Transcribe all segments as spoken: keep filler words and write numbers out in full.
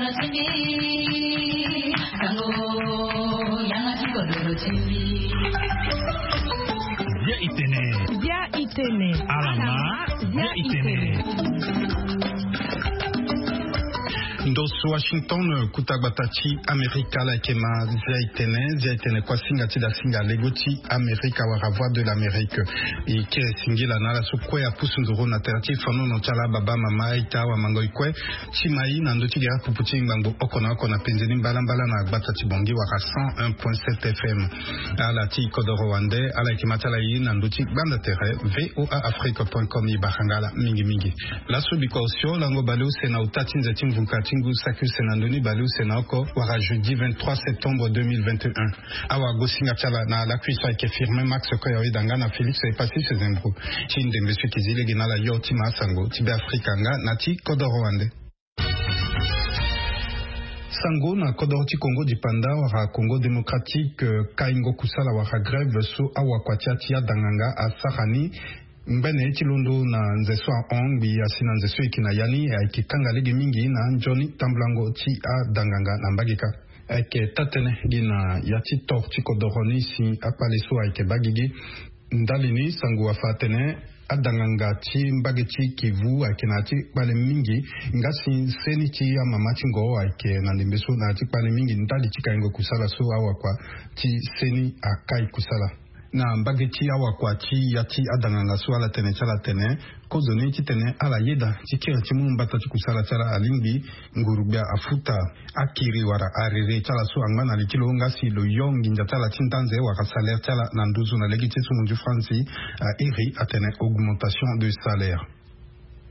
Bia itene. Bia itene. Alama. Bia itene. Ndo so Washington, kuta gbata ti Amerika, ala yeke ma Zia itene. Zia itene kua singa ti da singa lego ti Amerika wala Voix de l'Amérique. E kiri singila na ala so kue apusu nduru na tere ti fanono ti ala, baba, mama, ita, awamango, e kue, ti ma e na ndö ti gere pupu ti ngbangbo oko na oko na penze ni mbalambala na gbata ti Bangui wala cent un point sept F M. Ala ti kodoro wande, ala yeke ma ti ala e na ndö ti gbanda tere V O A Afrique point com. E bara nga ala mingi mingi. Laso bikua osio lango baleuse na ota ti nze ti mvuka ti ngu saki use na ndö ni baleuse na oko wala jeudi vingt-trois septembre deux mille vingt et un. Awa gosinga ti ala na lakui so ayeke Firmin Max Koya, oyeda nga na Félix Epassis Zembro. Ti ndembe so e yeke zi lege na ala yo ti ma asango ti Beafrika nga na ti kodoro wande. Sango na kodoro ti Congo dipanda wala Congo démocratique, eh, kaingo kusala wala grève so awakua ti ya ti adanganga asara ni ngbene ti londo na nze so ahon ngbii asi na nze so e yeke na ya ni, ayeke kanga lege mingi na nzoni tambulango ti adanganga na mbage kâ. Ayeke taa-tënë gi na ya ti tor ti kodoro ni si akpale so ayeke baa gigi. Ndali ni sango afa atene adanganga ti mbage ti Kivu ayeke na ya ti kpale mingi, nga si seni ti amama ti ngo ayeke na ndembe so na ya ti kpale mingi ndali ti kaingo kusala so awakua ti seni akai kusala. Na mbage ti awakua ti ya ti adanganga so ala tene ti ala tene kozoni titene ala yeda ti kiri ti mu mbata ti kusala ti ala alingbi nguru-gbia afuta akiri wala arere ti ala so angba na li ti lo nga si lo yo nginza ti ala ti ndanze wala salaire ti ala na nduzu na lege ti so munzu franzi airi atene augmentation de salaire.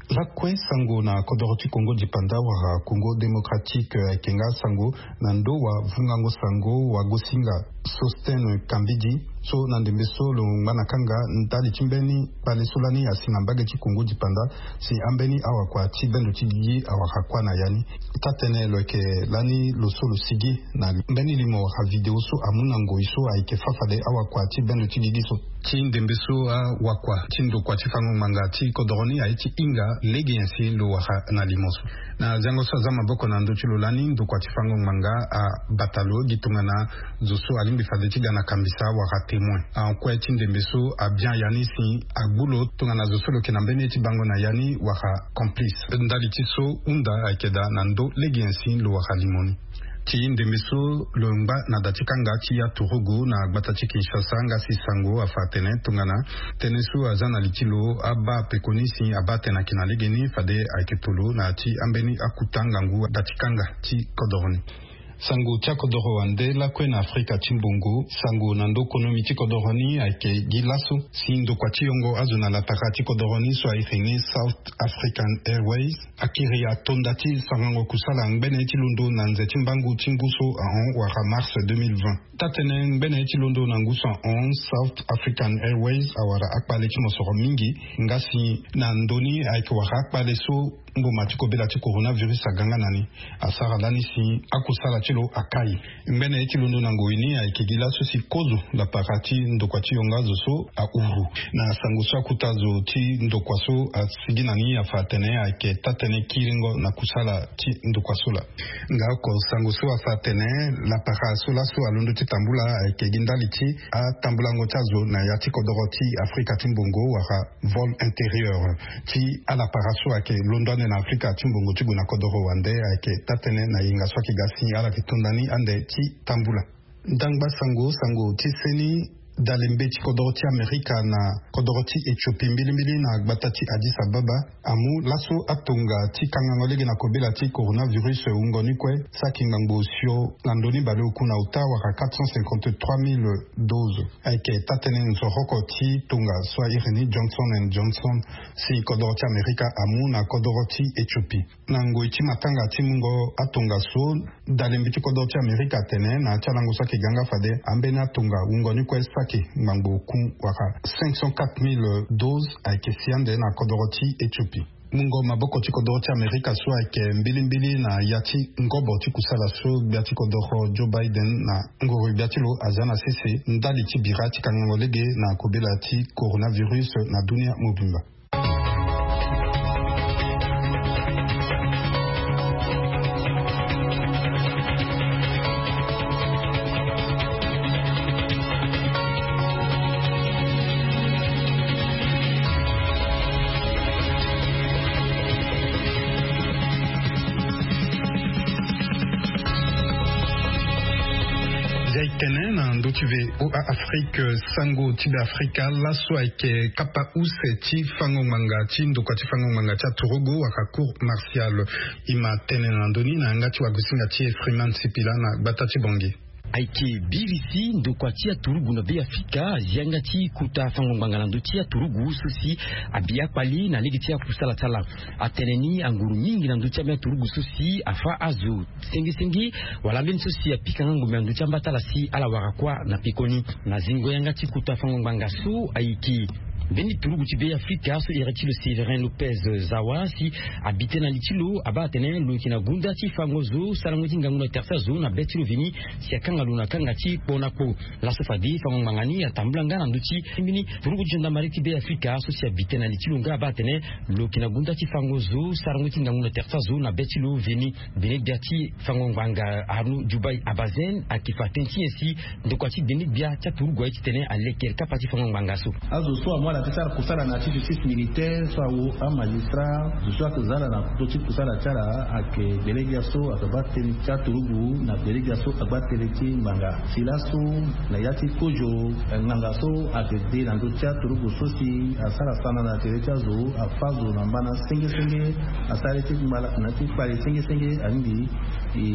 Lakue sango na kodoro ti Congo dipanda wala Congo démocratique, eh, ayeke nga sango na ndo wa vungango sango wa gosinga Sostene Kambidi so na ndembe so lo ngba na kanga ndali ti mbeni kpale so lani asi na mbage ti Congo dipanda si ambeni awakua ti bendo ti gigi awara kua na ya ni. Taa-tënë lo yeke lani lo so lo sigi na mbeni limo wala video so amu na ngoi so ayeke fâ fade awakua ti bendo ti gigi so. Ti ndembe so awakua ti ndokua ti fango ngbanga ti kodoro ni aye ti hinga lege nyen si lo wara na limo so. Na zango so aza maboko na ndö ti lo lani ndokua ti fango ngbanga abata lo gi tongana zo so alingbi fade ti ga na kambisa wala témoin. Ahon kue ti ndembe so abia ya ni si agbu lo tongana zo so lo yeke na mbeni ye ti bango na ya ni wala complice. Ndali ti so hunda ayeke daa na ndö lege nyen si lo wara limo ni. Ti ndembe so lo ngba na da ti kanga ti ya turugu na gbata ti Kinshasa nga si sango afa atene tongana tënë so aza na li ti lo abaa peko ni si abaa tene ayeke na lege ni fade ayeke tolo na ya ti ambeni akuta ngangu da ti kanga ti kodoro ni. Sango ti akodoro wande lakue na Afrika ti mbongo. Sango na ndö konomi ti kodoro ni ayeke gi laso si ndokua ti yongo azo na lapara ti kodoro ni so airi ni South African Airways akiri atonda ti sarango kusala ngbene ti londo na nze ti mbangu ti ngu so ahon wala mars deux mille vingt. Taa-tënë ngbene ti londo na ngu so ahon South African Airways awara akpale ti mosoro mingi nga si na ndö ni ayeke wara akpale so mboma ti kobela ti coronavirus aga nga na ni. Asara lani si akusala ti lo akai. Ngbene ye ti londo na ngoi ni ayeke gi laso si kozo lapara ti ndokua ti yongo azo so ahuru. Na sango so akuta zo ti ndokua so asigi na ni afa atene ayeke taa-tënë kiringo na kusala ti ndokua so laa. Nga oko sango so afa atene lapara so laso alondo ti tambula ayeke gi ndali ti atambulango ti azo na ya ti kodoro ti Afrika ti mbongo wala vol intérieur ti alapara so ayeke londo ande na Afrika ti mbongo ti gue na kodoro wande ayeke taa-tënë na yenga so ayeke ga si ala yeke to ndani ande ti tambula. Ndangba sango, sango ti seni dalembe ti kodoro ti Amerika na kodoro ti Ethiopie mbilimbili na gbata ti Addis Ababa amu laso atonga ti kangango lege na kobela ti coronavirus wungo ni kue saki ngbangbo osio na ndö ni baleoku na ota wala quatre cent cinquante-trois mille doses. Ayeke taa-tënë nzoroko ti tonga so airi ni Johnson and Johnson si kodoro ti Amerika amu na kodoro ti Ethiopie. Na ngoi ti matanga ti mungo atonga so, dalembe ti kodoro ti Amerika atene na ya ti alango so ayeke ga nga fade ambeni atonga wungo ni kue saki ngbangbo oku wala cinq cent quatre mille doses ayeke si ande na kodoro ti Ethiopie. Mungo maboko ti kodoro ti Amerika so ayeke mbilimbili na ya ti ngobo ti kusala so gbia ti kodoro Joe Biden na nguru gbia ti lo aza na sese ndali ti bira ti kangango lege na kobela ti coronavirus na dunia mobimba. Ve o afrique, sango ti be afrika laso ayeke kapa use ti fango ngbanga ti ndokua ti fango ngbanga ti aturugu wala cour martial. E ma tene na ndoni na yanga ti wagosinga ti efriman sipila na gbata ti bongi. Ayeke birisi ndokua ti aturugu na be afrika azi yanga ti kota fango ngbanga na ndö ti aturugu so si abi akpali na lege ti akusala ti ala. Atene ni anguru mingi na ndö ti ambeni aturugu so si afa azo sengesenge wala ambeni so si apika nga ngombe na ndö ti amba ti ala si ala wara kuâ na pekoni. Na zingo yanga ti kota fango ngbanga so ayeke mbeni turugu ti be afrika so iri ti lo séverin lopez zawa si abi tënë na li ti lo abaa atene lo yeke na gonda ti fango zo sarango ti ngangu na tere ti azo na be ti lo veni si akanga lo na kanga ti kpo na kpo. Laso fade fango ngbanga ni atambula nga na ndö ti mbeni turugu ti gendarmerie ti be afrika so si abi tënë na li ti lo nga abaa atene lo yeke na gonda ti fango zo sarango ti ngangu na tere ti azo na be ti lo veni. Bene gbia ti fango ngbanga arnaud dubai abazen ayeke fa tënë ti nyen si ndokua ti bene gbia ti aturugu aye titene aleke kapa ti fango ngbanga so. Azo so amu ala ti sara kusala na ya ti justice militaire so awo amagistrat zo so ayeke za ala na ndö ti kusala ti ala ayeke bene gbia so ayeke baa tënë ti aturugu na bene gbia so agba tënë ti ngbanga. Si laso na ya ti kozo ngbanga so ayeke de na ndö ti aturugu so si asara sana na tere ti azo afa zo na mbana sengesenge asara ye ti ngbala na ti kpale sengesenge alingbi e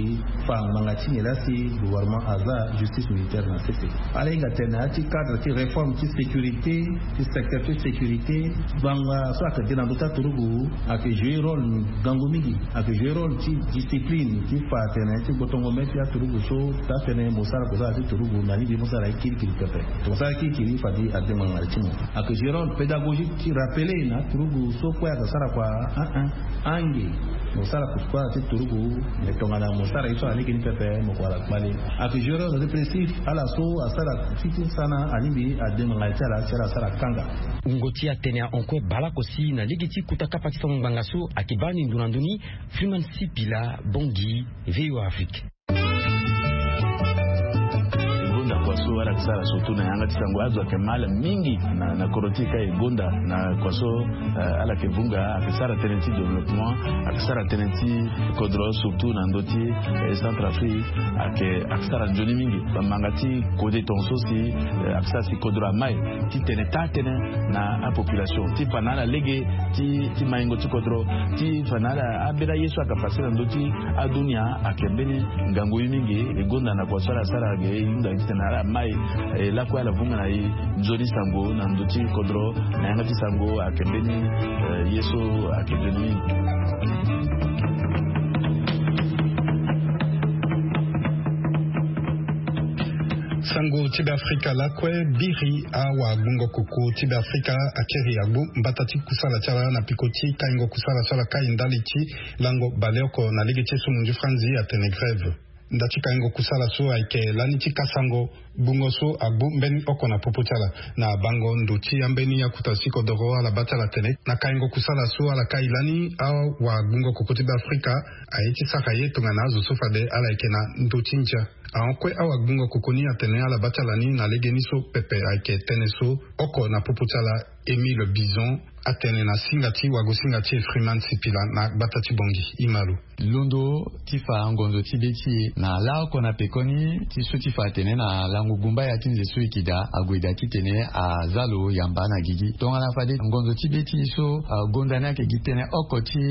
fa ngbanga ti nyen laa si gouvernement aza justice militaire na sese. Ala hinga tene na ya ti cadre ti réforme ti sécurité ti secteur ti sécurité ngbanga so ayeke de na ndö ti aturugu ayeke jouer rôle ngangu mingi. Ayeke jouer rôle ti discipline ti fa atene ti gbotongo mê ti aturugu so taa tënë mo sara kusala ti turugu na lingbi mo sara ye kirikiri pepe. Tongana mo sara kirikiri fade adengo na ngala ti mo. Ayeke jouer rôle pédagogique ti rappeler na aturugu so kue ayeke sara kua. Ange mo sara kusala ti turugu me tongana mo sara ye so alege ni pepe mo kua ala kpale. Ayeke jouer rôle répressif ala so asara ti ti sana alingbi adengo na ngala ti ala si ala asara kanga. Wungo ti atene ahon kue baleoko si na lege ti kota kapa ti fango ngbanga so ayeke baa ni ndo na ndö ni. Freeman sipila bongi. Voa afrique. E gonda kua so ala yeke sara surtout na yanga ti sango azo ayeke mal mingi na kodro ti e ka e gonda na kua so ala yeke vunga ayeke sara tënë ti développement ayeke sara tënë ti kodro surtout na ndö ti centre afrique. Ayeke ayeke sara nzoni mingi bamanga ti kode tonga so si ayeke sara si kodro amai ti tene taa tënë na apopulation ti fa na ala lege ti maingo ti kodro ti fa na ala ambeni aye so ayeke pase na ndö ti adunia. Ayeke mbeni ngangu ye mingi e gonda na kua so ala sara ge e hunda titene ala mai e lakue ala vunga na e nzoni sango na ndö ti kodro na yanga ti sango ayeke mbeni ye so ayeke nzoni mingi. Sango ti be afrika lakue biri awagbungo koko ti be afrika akiri agbu mbata ti kusala ti ala na peko ti kaingo kusala so ala kai ndali ti lango baleoko na lege ti esumu ndi franzi atene grève. Nda ti kaingo kusala so ayeke lani ti kasango gbungo so agbu mbeni oko na popo ti ala na bango ndo ti ambeni akuta ti kodoro ala baa ti ala tene na kaingo kusala so ala kai lani awagbungo koko ti be afrika aye ti sara ye tongana azo so fade ala yeke na ndo ti ndia. Ahon kue awagbungo koko ni atene ala baa ti ala ni na legeni so pepe ayeke tënë so oko na popo ti ala. Émile bison atene na singa ti wagosinga ti efriman sipila na gbata ti bongi. Imalo londo ti fa ngonzo ti be ti e na laoko na pekoni ti so ti fa atene na lango gumbaya ti nze so e yeke daa ague daa titene aza lo yamba na gigi tongana fade ngonzo ti be ti e so gonda ni ayeke gi tënë oko ti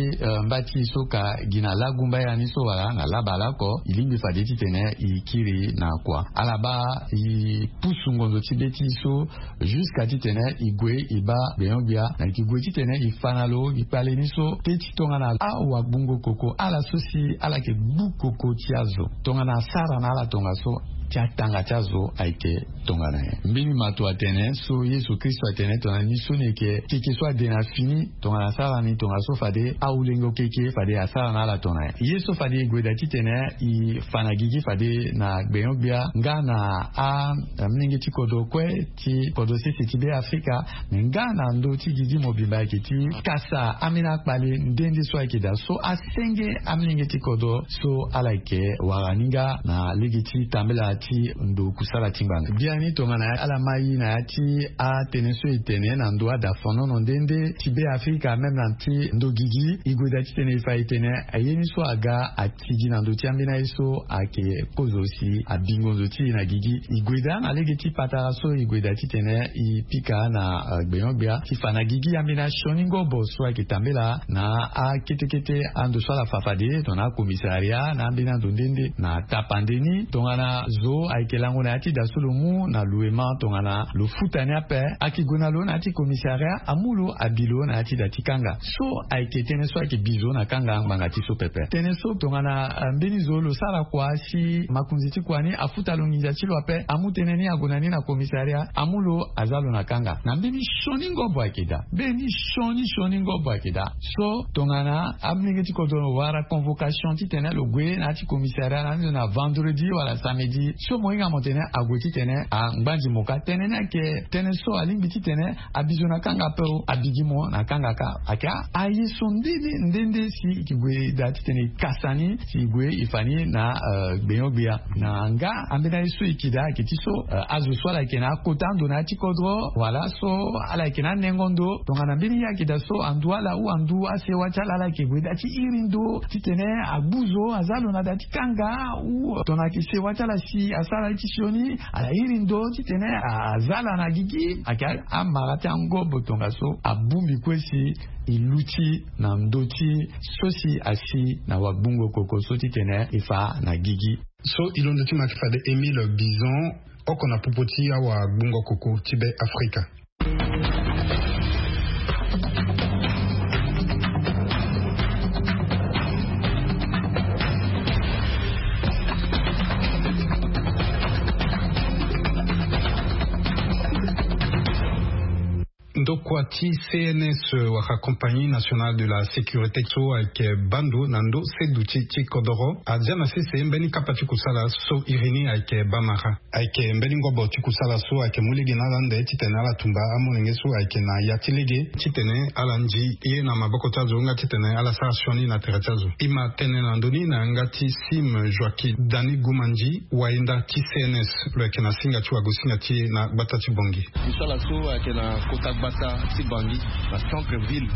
mba ti e so ka gi na lagumbaya ni so wala na labaleoko e lingbi fade titene e kiri na kua ala baa e pusu ngonzo ti be ti e so jusqu'à titene e gue e baa gbenyo-gbia na e yeke gue titene e fa na lo e kpale ni so pe ti tongana awagbungo koko ala so si ala yeke gbu koko ti azo tongana asara na ala tongaso ti atanga ti azo ayeke tongana nyen. Mbeni mato atene so yesu kristo atene tongana ni so ni yeke keke so ade na fini tongana asara ni tongaso fade awulengo keke fade asara na ala tongana nyen ye so fade e gue daa titene e fa na gigi fade na gbenyo-gbia nga na amolenge ti kodro kue ti kodro sese ti be afrika me nga na ndö ti gigi mobimba ayeke ti kasa ambeni akpale nde nde so ayeke daa so asenge amolenge ti kodro so ala yeke wara ni nga na lege ti tambela ti ndo kusala ti ngbanga. Biani tongana ala mai na ya ti atene so e tene na ndo adafonono nde nde ti be afrika même na ti ndo gigi, e gue daa titene e fa e tene aye ni so aga atigi na ndo ti ambeni aye so ayeke kozo si abingo nzo ti e na gigi. E gue daa na lege ti patara so e gue daa titene e pika na gbenyo-gbia ti fa na gigi ambeni asioni ngobo so ayeke tambela na akete kete ando so ala fa fade tongana akomisaria na ambeni ando nde nde na tapande ni tongana zo ayeke lango na ya ti da so lo mu na luema tongana lo futa ni ape. Ayeke gue na lo na ya ti komisaria amu lo abi lo na ya ti da ti kanga so ayeke tënë so ayeke bi zo na kanga ngbanga ti so pepe. Tënë so tongana mbeni zo lo sara kua si makonzi ti kua ni afuta lo nginza ti lo ape amu tënë ni ague na ni na komisaria amu lo aza lo na kanga na mbeni sioni ngobo ayeke daa. Mbeni sioni sioni ngobo ayeke daa. So tongana amolenge ti kodro wara convocation titene lo gue na ya ti komisaria na ni zo na vendredi wala samedi so mo hinga mo tene ague titene angbanzi mo ka tënë ni ayeke tënë so alingbi titene abi zo na kanga ape o abi gi mo na kanga ka. Ayeke aye so nde nde nde nde si e gue daa titene e kasa ni si e gue e fa ni na gbenyo-gbia na nga ambeni aye so e yeke daa ayeke ti so azo so ala yeke na akota ando na ya ti kodro wala so ala yeke na anengo ndo tongana mbeni ye ayeke daa so andu ala ou andu asewa ti ala ala yeke gue daa ti iri ndo titene agbu zo aza lo na daa ti kanga ou tongana ayeke sewa ti ala si asara ye ti sioni ala iri ndo titene aza ala na gigi. Ayeke amara ti angobo tongaso abongbi kue si e luti na ndö ti so si asi na wagbungo koko so titene e fa na gigi. So e londo ti ma yeke fade Émile Bison oko na popo ti awagbungo koko ti be afrika. Ndokua ti C N S wala Compagnie Nationale de la Sécurité so ayeke baa ndo na ndo seduti ti kodoro azia na sese mbeni kapa ti kusala so iri ni ayeke bamara. Ayeke mbeni ngobo ti kusala so ayeke mu lege na ala nde titene ala tumba amolenge so ayeke na ya ti lege titene ala ndi ye na maboko ti azo nga titene ala sara sioni na tere ti azo. E ma tene na ndö ni na yanga ti Sim Joaquim Dani Gumandi wahinda ti C N S lo yeke na singa ti wagosinga ti e na gbata ti Bangui. Kusala so ayeke na kota gbata ti Bangui na centre ville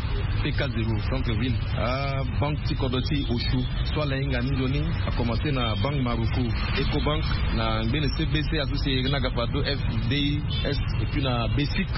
P K zéro centre ville abank ti kodro ti Oshu so ala hinga ni nzoni akomanse na bank Maroko, Ecobank, na ngbene C B C aso si e na ga pado F D I S et puis na Basic.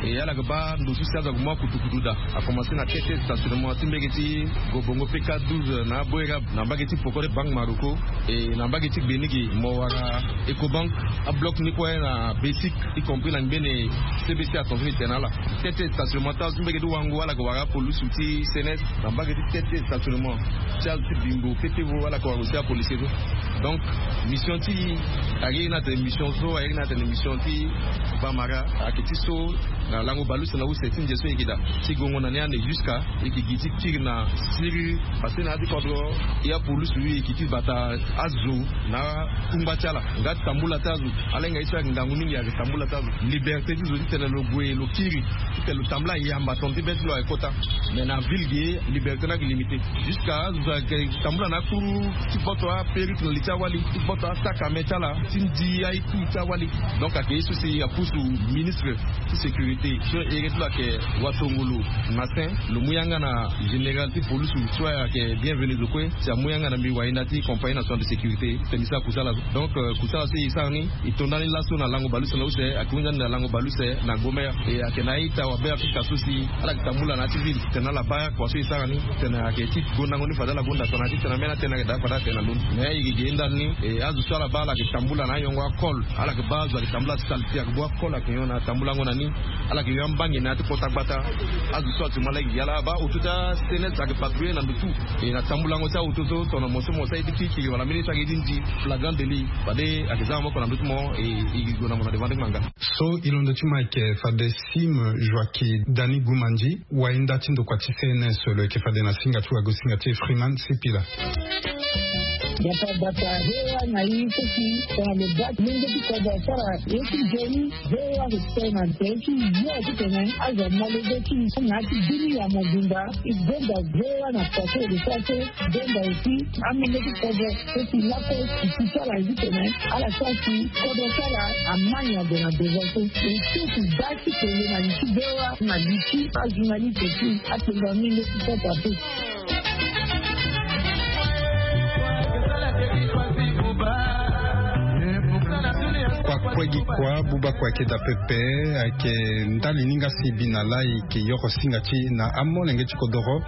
E ala ga baa ndo so si azo aga mu akutukutu daa akomanse na kete stationnement ti mbege ti gobongo P K douze na aboerab na mbage ti poko ti bank Maroko. E na mbage ti gbenigi mo wara Ecobank abloc ni kue na Basic y compris na ngbene C B C atonso ni tene na ala. Tete stationnement ti azo ti mbege ti wango ala ga wara apolusu ti C N S na mbage ti tete stationnement ti azo ti bingo petevo ala ga wara aussi apolisier so. Donc mission ti e ayeke na atene mission so ayeke na atene mission ti bamara ayeke ti so na lango baleuse na use ti nze so e yeke daa ti gongo na ni ande jusqu'à e yeke gi ti kiri na siriri. Parce que na ya ti kodro e apolusu e yeke ti bata azo na akungba ti ala nga ti tambula ti azo. Ala hinga ye so ayeke ngangu mingi ayeke tambula ti azo liberté ti zo titene lo gue lo kiri titene lo tambula yamba tongana ti be ti lo ayeke kota. Mais na ville ge liberté ni ayeke limité jusqu'à azo ayeke tambula na akuru ti boto apérite na li ti awali ti boto asakame ti ala ti ndi aitu ti awali. Donc ayeke ye so si apusu ministre ti sécurité so ere ti lo ayeke watongolo. Matin lo mu yanga na général ti police so ayeke bienvenu zo kue si amu yanga na mbi wahinda ti compagnie nationale de sécurité tene mbi sara kusala so. Donc kusala so e sara ni e to ndani laso na lango baleuse na use ayeke hunda ni na lango baleuse na gomer. E ayeke na a-ita wabe afrika so si ala yeke tambula na ya ti ville tene ala baa kua so e sara ni tene ayeke ti gondango ni fade ala gonda so na ya ti tene ambeni atene ayeke daa fade atene na ndoni. Mais e yeke ge ndani ni e azo so ala baa ala yeke tambula na ayongo akol. Ala yeke baa azo ayeke tambula ti sale ti ayeke bua akol ayeke nyon na tambulango na ni. Ala yeke yo ambangi na ya ti kota gbata. Azo so actuellement ala yeke gi ala abaa auto ti a-cns ayeke patrouiller na ndo tout. E na tambulango ti auto so tongana mo so mo sara ye ti kirikiri wala mbeni ye so ayeke ye ti ndi flagrant délit fade ayeke za maboko na ndo ti mo. E e yeke gue na mo na devant ti ngbanga. So e londo ti mo ayeke fade sim joaki dani gumandi wahinda ti ndokua ti cns lo yeke fade na singa ti wagosinga ti freeman sipila. Bata bata hewa na i koki tongana lo bati lenge ti kodro asara ye ti geni. Hewa ke tongana te ti yo ti tene azo mole be ti na ti bini ya mobimba. I benda hewa na pase de sa so benda esi amenge ti kodro so si lako i si sara i ti tene ala sa si kodro sara amani ade na deza so. I so si ba ti tene na li ti hewa na li ti ajournaliste ti atenda menge ti sasa te. Kua kue gi kua buba kua ayeke daa pepe. Ayeke ndali ni nga si bi na laa e yeke yoro singa ti na amolenge ti kodoro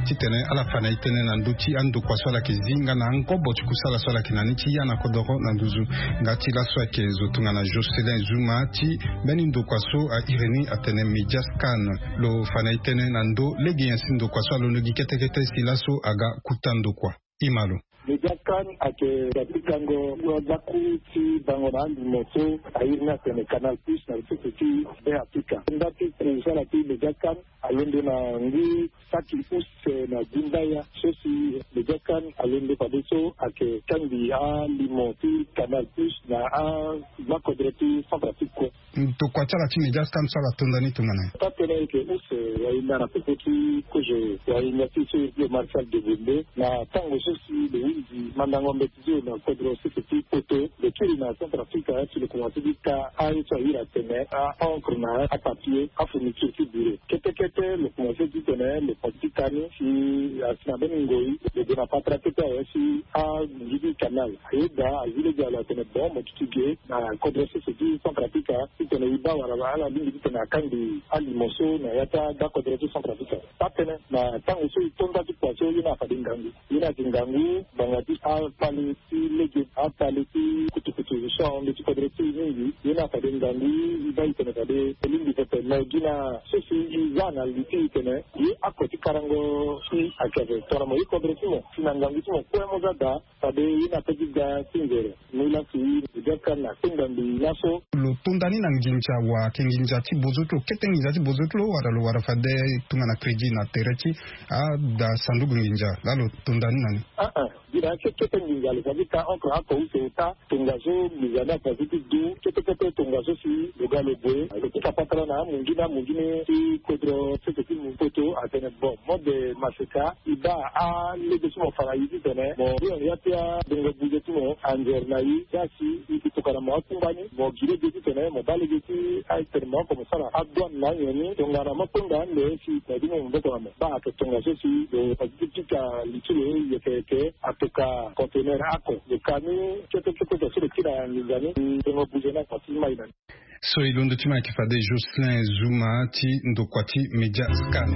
titene ala fa na e tënë na ndö ti andokua so ala yeke zi nga na angobo ti kusala so ala yeke na ni ti ya na kodoro na nduzu. Nga ti laso ayeke zo tongana Jocelyn Zuma ti mbeni ndokua so a iri ni atene Mediascan. Lo fa na e tënë na ndö lege nyen si ndokua so alondo gi kete kete si laso aga kuta ndokua. Imalo. Mediascan ayeke daa ti gango kua daku ti bango na alimo so a iri ni atene Canal Plus na sese ti Be Afrika. Nda ti kusala ti Mediascan alondo na ngu saki use na gumbaya so si Mediascan alondo fadeso ayeke kangbi alimo ti Canal Plus na agbakodro ti Centrafrique kue. Ndokua ti ala ti Mediascan so ala tonda ni tongana nyen? Taa-tënë ayeke use wahinda na popo ti kozo wahinda ti so iri ti lo Marcel Degonde na tango so si lo hunzi mandango mbeti ti lo na kodro sese ti poto. Lo kiri na Centrafrique si lo komanse ti ka aye so a iri atene a-encre na apapier afourniture ti bureau. Kete kete lo komanse ti tene lo komanse ti ka ni si asi na mbeni ngoi lo gue na patara kete awe si anginzi ti canal. Ayeda azi lege alo atene bon mo duti ge na kodro sese ti Centrafrique titene e baa wala ala lingbi titene akangbi alimo so na ya ti agbakodro ti Centrafrique. Taa-tënë na tango so e to nda ti kua so ye ni afade ngangu. Ye ni ayeke ngangu ngbanga ti apali ti lege, apali ti kutukutu so ahon ndö ti kodro ti e mingi. Ye ni afade ngangu e baa e tene fade e lingbi pepe. Me gi na so si e za na li ti e tene ye ako ti karango si ayeke ape tongana mo ye kodro ti mo si na ngangu ti mo kue mo za daa. Fade ye na pe ti ga ti nzere. Mu lasi Mediascan na atenga mbi laso. Lo tonda ni na nginza wa ayeke nginza ti bozo ti lo kete nginza ti bozo ti lo wala lo wara fade tongana crédit na tere ti ada sanduku nginza laa lo tonda ni na ni. Aa, gi na kekete nginza lo fa ti ka entre ako use ota tongaso nginza ni afa ti du kete kete tongaso si lo ga lo gue lo ti ka patara na amungi na amungi ni ti kodro sese ti poto atene bon mode maseka. E baa alege ti mo fa na e titene mo hio ya ti abongo buze ti mo anzere na e. Za si e tokana mo akungba ni mo gi lege titene mo baa lege ti atene mo oko mo sara adouane na anyen ni tongana mo kpengba ande si na e ti mo maboko na mo. Baa ayeke tongaso si lo fa ti ti pika li ti lo yeke yeke atoka conteneur ako lo ka ni kete kete so lo kiri na nginza ni. Bongo buze ni ako ti mai na ni. So e londo ti mo ayeke fade Jocelyn Zuma ti ndokua ti Mediascan.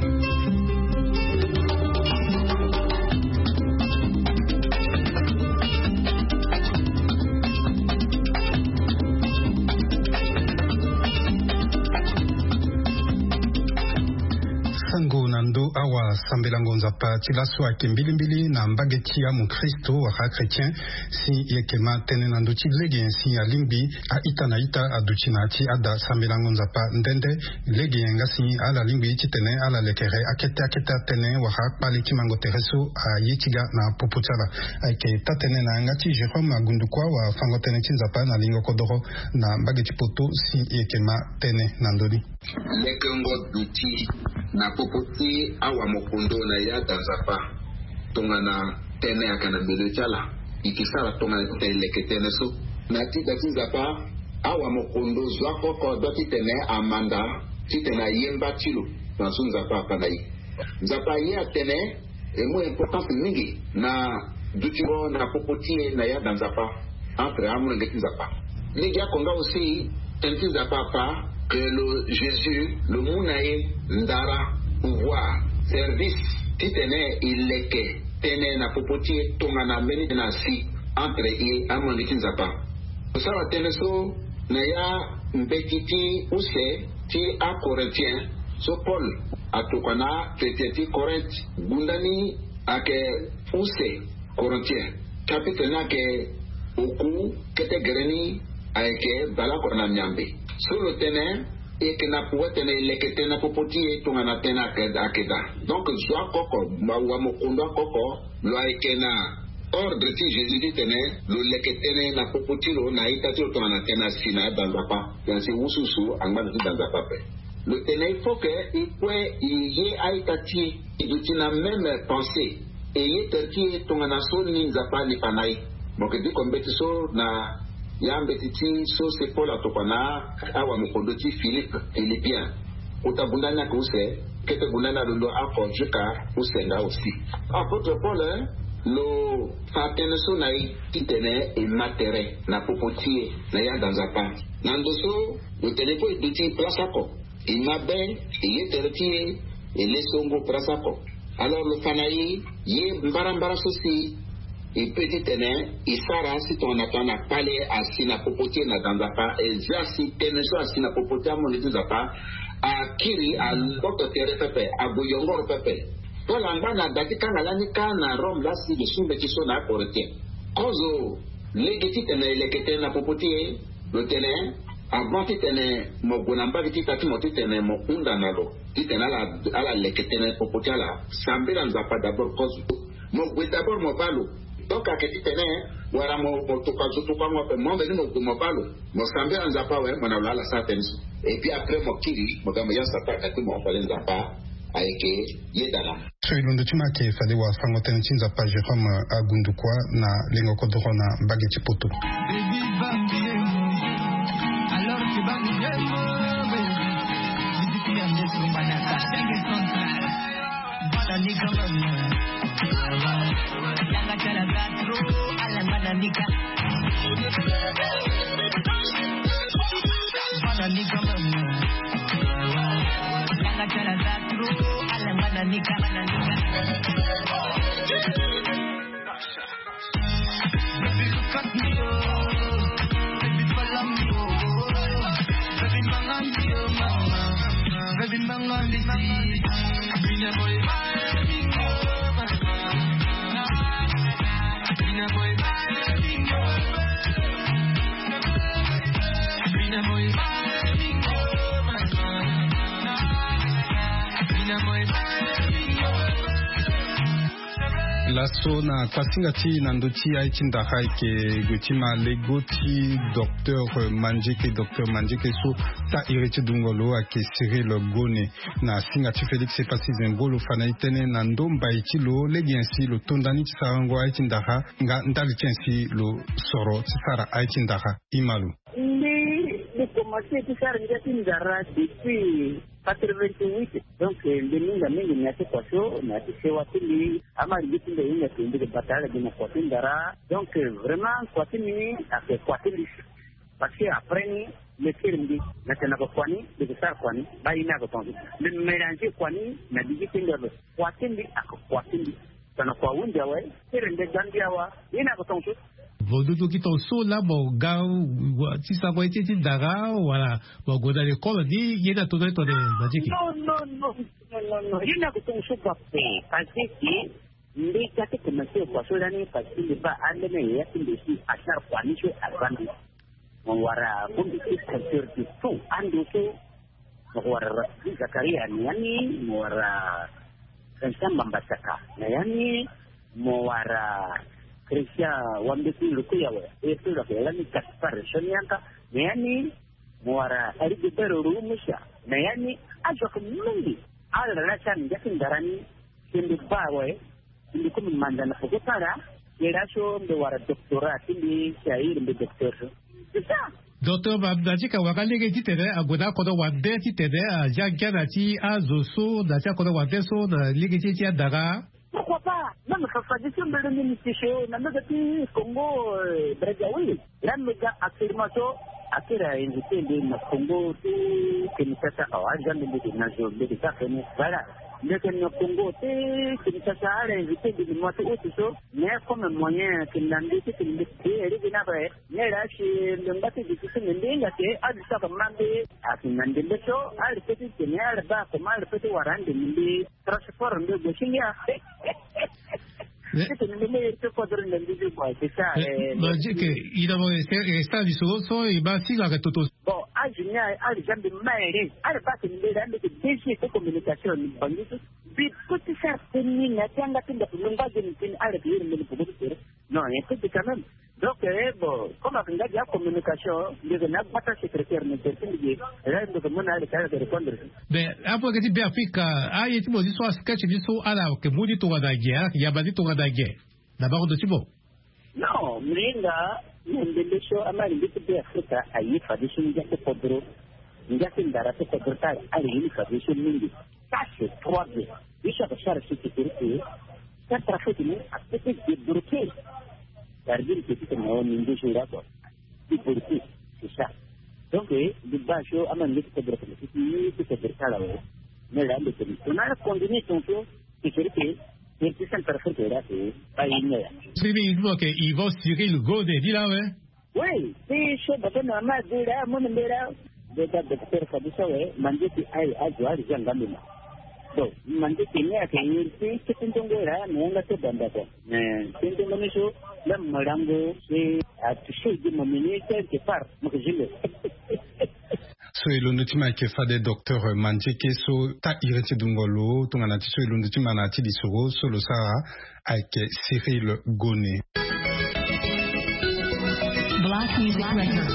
Sango na ndö awasambelango Nzapa ti laso ayeke mbilimbili na mbage ti amokristo wala achrétien. Si e yeke ma tënë na ndö ti lege nyen si alingbi a-ita na ita aduti na ya ti ada sambelango Nzapa nde nde. Lege nyen nga si ala lingbi titene ala lekere akete akete atënë wala akpale ti mango tere so aye ti ga na popo ti ala. Ayeke taa-tënë na yanga ti Jérôme Agundukua wala fango tënë ti Nzapa na lingo kodoro na mbage ti poto si e yeke ma tënë na ndö ni. Lekengo duti na popo ti awamokondo na ya da Nzapa. Tongana tënë ayeke na bele ti ala e ke sara tongana titene e leke tënë so. Na ti da ti Nzapa awamokondo zo oko oko adua titene amanda titene aye mba ti lo. Na so Nzapa afa na e. Nzapa aye atene e mu importance mingi na dutingo na popo ti e na ya da Nzapa. Entre amolenge ti Nzapa. Lege oko nga aussi tënë ti Nzapa afa que lo Jésus lo mu na e ndara, pouvoir, service titene e leke tënë na popo ti e tongana mbeni tënë asi entre e amolenge ti Nzapa. Lo sara tënë so na ya mbeti ti use ti aCorinthiens so Paul atokua na akretien ti Corinthe. Gunda ni ayeke use Corinthiens chapitre ni ayeke oku kete gere ni ayeke baleoko na miambe. So lo tene e yeke na pouvoir titene e leke tënë na popo ti e tongana tënë ayeke daa. Donc zo oko oko, wamokondo oko oko lo ayeke na Ordre ti Jésus titene lo leke tënë na popo ti lo na a-ita ti lo tongana tënë asi na ada Nzapa. Tënë asi wusuwusu angba na ti da Nzapa ape. Lo tene il faut que e kue e ye a-ita ti e, e duti na même pensée, e ye tere ti e tongana so ni Nzapa ani fa na e. Mo yeke diko mbeti so na ya mbeti ti so se Paul atokua na awamokondo ti Philippe, Philippien. Kota bunda ni ayeke use, kete bunda ni alondo oko jusqu'à use nga aussi. Apôtre Paul, eh, lo fa tënë so na e titene e ma tere na popo ti e na yanga Nzapa. Na ndo so lo tene kue e duti place oko, e ma be, e ye tere ti e, e le songo place oko. Alors lo fa na e, ye mbarambara so si e pe titene e sara si tongana tongana kpale asi na popo ti e na da Nzapa, e zia si tënë so asi na popo ti amonge ti Nzapa akiri, aloto tere pepe, ague yongoro pepe. Paul angba na da ti kanga lani kâ na Rome laa si lo su mbeti so na aKorinthien. Kozo lege titene e leke tënë na popo ti e, lo tene, avant titene mo gue na mbage ti ita ti mo titene mo hunda na lo titene ala, ala leke tënë popo ti ala. Sambela Nzapa d'abord kozo. Mo gue d'abord mo baa lo. Donc ayeke titene wala mo, mo tokua zo tokuango ape, mo mbeni mo gue mo baa lo, mo sambela Nzapa awe, mo na lo ala sara tënë so. Et puis après mo kiri, mo ga mo ya Satan ayeke ti mo, fade Nzapa ayeke yeda na. So e londo ti mo ayeke fade wafango-tënë ti Nzapa Jérôme Agundukua na lengo kodoro na mbage ti Poto. Laso na kuasinga ti na ndö ti aye ti ndara ayeke gue ti ma lego ti docteur Mandieke, docteur Mandieke so sa iri ti dungo lo ayeke Cyril Gone. Na singa ti Félix Epassi Zengo lo fa na e tënë na ndo mbai ti lo, lege nyen si lo to nda ni ti sarango aye ti ndara, nga ndali ti nyen si lo soro ti sara aye ti ndara. Ima lo. Mbi, mbi komanse ti sara ngia ti ndara depuis quatre-vingt-huit. Donc, eh, mbi minga mingi na ya ti kua so, na ya ti sewa ti mbi. Ama lege ti mbi ahinga ke mbi ke bata ala gi na kua ti ndara. Donc, eh, vraiment, kua ti mbi ni ayeke kua ti mbi. Parce que après ni, mbi kiri mbi na tene na kua ni, mbi ke sara kua ni, baa ye ni ayeke tongaso. Mbi mélanger kua ni na lege ti mbi ape. Kua ti mbi ayeke kua ti mbi. Tongana kua ahunzi awe, tere nde ga mbi awa, ye ni ayeke tongaso. Vo dudu gi tongaso laa mo ga wa, ti sarango ye ti, ti ndara, wala mo gue na lekole ni, ye ni ato na ye tongana Mandieke? Non, non, non, non, non, non. Ye ni ayeke tongaso bape. Parce que mbi ga ti komanse kua so lani, parce que mbi baa ambeni yaya ti mbi si asara kua ni so aza mbi. Mo wara bongbi ti pasteur de tout ando so. Mo wara Rafiki Zakaria na ya ni, mo wara Vincent Mbambasaka na ya ni, mo wara Christian Wambeti Lukuyawe, e so lo yeke lani Gaspard Sonianka na ya ni, mo wara Rigobert Rumusa na ya ni. Azo ayeke mingi. Ala laa ti ala na ngia ti ndara ni. Si mbi baa awe, mbi komi manda na peko ti ala. Ye laso mbi wara doctorat ti mbi, si a iri mbi docteur so. C'est ça. Docteur Mandieke, wala lege titene ague na akodro wande titene azia ngia na ya ti azo so, na ya ti akodro wande so, na lege ti, ti andara? Pourquoi pas? Même Fafa Diso mbele ni mbi ti so na mega ti Congo, euh, Brazzaville. Laa mbi ga actuellement so, akiri a invité mbi na Congo ti Kinshasa awa, aza mbi, mbi ke na zo, mbi ke sara tënë. Voilà. Mbi yeke na Congo ti Kinshasa, ala invité mbi na mois ti août so. Mais comme moyen ayeke na mbi titene mbi ke lege ni ape. Mais laa si mbi ngba ti duti so mbi, mbi hinga ke azo so ayeke ma mbi ayeke na ndembe so, ala peut ti tene ala baa comment ala peut ti wara andembe mbi. Transport nde gue ti ngia. Mais titene mbi me iri ti kodro nde mbi ti gue, c'est ça. Mais, eh, Mandieke, i na mo resta, resta lisoro so e baa singa ayeke toto. Bon, azo ni aye, ala za mbi ma iri. Ala baa tene mbi laa mbi yeke D G ti communication na Bangui so. Mbi peut ti sara tënë ni na ya ti yanga ti ndako, mbi ngba geni tënë, ala yeke iri mbi na peko ti tere. Non, il y a tout quand même. Donc eh, bon, comme ake nga dia communication ndeke na gbata secrétaire ne te ti ndeke. Là ndeke mona ale kala de répondre. Mais apo ake ti be afrika, aye ti mo ti so asketch ti so ala ake mu ti tongana ge, ala ake yamba ti tongana ge. Na bango ndo ti mo. Non, mlinga na ndembe so ama lingbi ti be afrika aye fade so ngia ti kodro. Ngia ti ndara ti kodro ti ala alingbi fade so mingi. Ça c'est trois bien. Biso ake sara si ti kiri ti centrafrique ni apete débloqué. Sardine ke ti tene o ni nduzu nga kua. Ti borti. C'est ça. Donc eh, di ba so ama nge ti kodro kene ti ti ti kodro ti ala we. Mais la nde tene tona continue ton so. Ti kiri ti ti centrafrique la ti ba ye ni ya. Sirimi il faut que ils vont Cyril Gode di la we. Oui, ti so bata na ma di la mo ni mbela. Beta docteur fadi so we mande ti aye azo ari za ngambi ma. Bon, mande ti ni ake yeri ti kete ndongo la na yanga te banda ko. Mais kete ndongo ni so la malango se a touché di mo mini quelque part mo ke jile. So e londo ti ma eke fade docteur Mandieke so ta iri ti dungo lo tongana ti so e londo ti ma na ya ti lisoro so lo sara. Avec Cyril Gonnet. Black Music Records.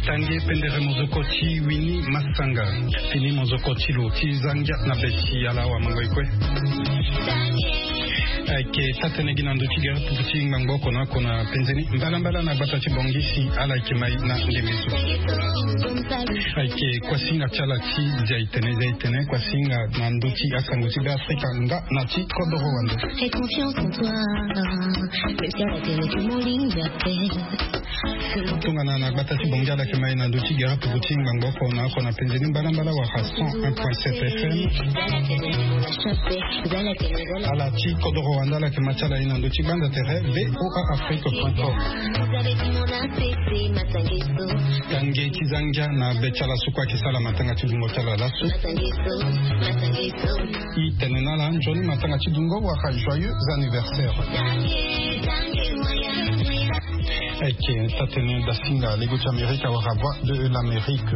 Tange pendere mozoko ti wini masanga. Fini mozoko ti lo ti zangia na be ti ala awamango e kue. Ayeke taa-tënë gi na ndö ti gere pupu ti ngbangbo oko na oko na penze ni mbalambala na gbata ti bongi si ala yeke mai na ndembe so. Ayeke kuasinga ti ala ti zia itene zia itene kuasinga na ndö ti asango ti be afrika nga na ti kodoro wande. Tongana na gbata ti bongi ala yeke mai na ndö ti gere pupu ti ngbangbo oko na oko na penze ni mbalambala wala cent un point sept fm. Ala ti kodoro wande ala yeke ma ti ala ye na ndö ti gbanda tere voa afrique point com. Tange ti zangia na be ti ala so kue ayeke sara matanga ti dungo ti ala laso. I tene na ala nzoni matanga ti dungo wala joyeux anniversaire. Ayeke taa-tënë dasinga lego ti amerika wala voix de l'amérique.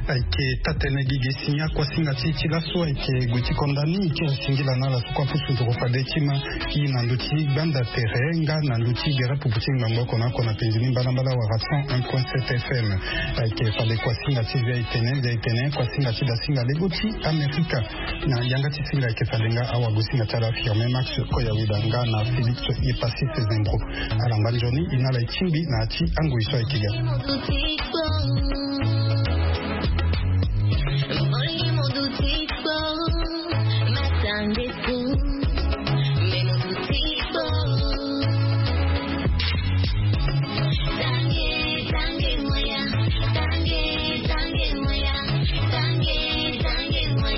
Ayeke taa-tënë gigi si ni akuasinga ti ti laso ayeke gue ti konda ni ti singila na ala so kue apusu nduru fade ti ma. I na ndö ti gbanda tere nga na ndö ti gere pupu ti ngbangbo oko na oko na penzi ni mbalambala wala cent un point sept fm. Ayeke fade kuasinga ti zia etene zia etene kuasinga ti dasinga lego ti amerika. Na yanga ti singa ayeke fade nga awagosinga ti ala affirme max koyaweda nga na félix epassis zembro. Ala ngba nzoni e na ala e tingbi na ya ti angoi so ayeke ga.